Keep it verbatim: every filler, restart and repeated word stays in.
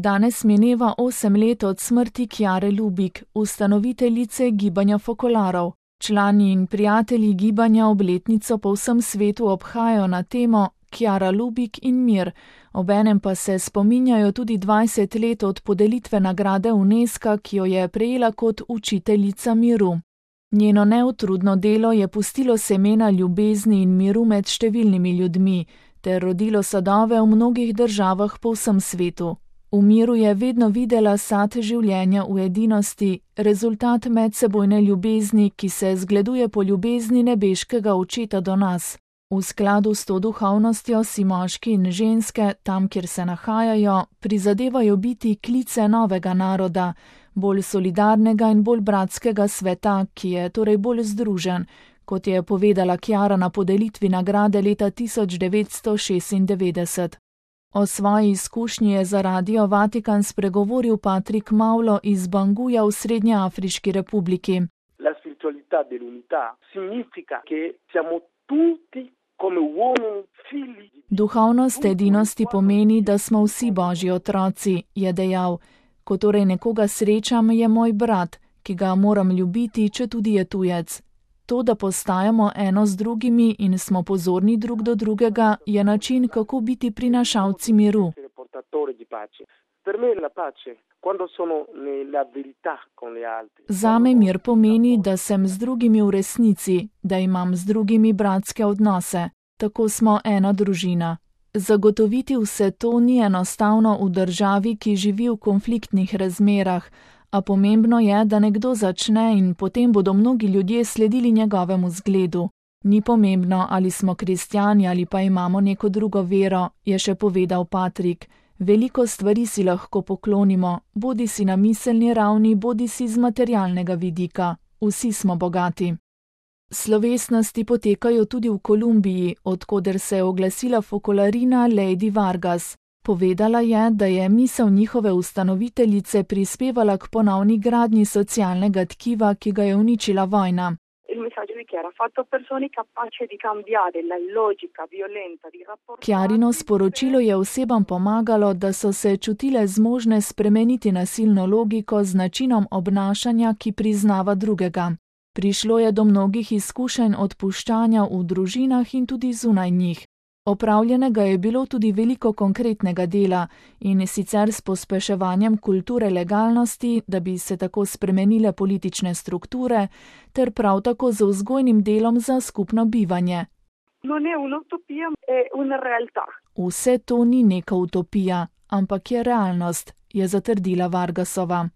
Danes mineva osem let od smrti Chiare Lubich, ustanoviteljice gibanja fokolarov. Člani in prijatelji gibanja obletnico po vsem svetu obhajajo na temo Chiara Lubich in mir, obenem pa se spominjajo tudi dvajset let od podelitve nagrade Unesca, ki jo je prejela kot učiteljica miru. Njeno neutrudno delo je pustilo semena ljubezni in miru med številnimi ljudmi, ter rodilo sadove v mnogih državah po vsem svetu. V miru je vedno videla sad življenja v edinosti, rezultat medsebojne ljubezni, ki se zgleduje po ljubezni nebeškega očeta do nas. V skladu s to duhovnostjo si moški in ženske, tam kjer se nahajajo, prizadevajo biti klice novega naroda, bolj solidarnega in bolj bratskega sveta, ki je torej bolj združen, kot je povedala Chiara na podelitvi nagrade leta tisoč devetsto šestindevetdeset. O svoji izkušnji je za Radio Vatikan spregovoril Patrick Maulo iz Banguja v Srednjeafriški republiki. La spiritualità dell'unità significa che siamo tutti come uomini figli. Duhovnost edinosti pomeni, da smo vsi Božji otroci, je dejal. Ko torej nekoga srečam, je moj brat, ki ga moram ljubiti, če tudi je tujec. To, da postajamo eno z drugimi in smo pozorni drug do drugega, je način, kako biti prinašalci miru. Zame mir pomeni, da sem z drugimi v resnici, da imam z drugimi bratske odnose. Tako smo ena družina. Zagotoviti vse to ni enostavno v državi, ki živi v konfliktnih razmerah, a pomembno je, da nekdo začne in potem bodo mnogi ljudje sledili njegovemu zgledu. Ni pomembno, ali smo kristjani ali pa imamo neko drugo vero, je še povedal Patrick. Veliko stvari si lahko poklonimo, bodi si na miselni ravni, bodi si z materialnega vidika. Vsi smo bogati. Slovesnosti potekajo tudi v Kolumbiji, odkoder se je oglasila fokolarina Lady Vargas. Povedala je, da je misel njihove ustanoviteljice prispevala k ponovni gradnji socialnega tkiva, ki ga je uničila vojna. Chiarino sporočilo je osebam pomagalo, da so se čutile zmožne spremeniti nasilno logiko z načinom obnašanja, ki priznava drugega. Prišlo je do mnogih izkušenj odpuščanja v družinah in tudi zunaj njih. Opravljenega je bilo tudi veliko konkretnega dela in sicer s pospeševanjem kulture legalnosti, da bi se tako spremenile politične strukture, ter prav tako z vzgojnim delom za skupno bivanje. Vse to ni neka utopija, ampak je realnost, je zatrdila Vargasova.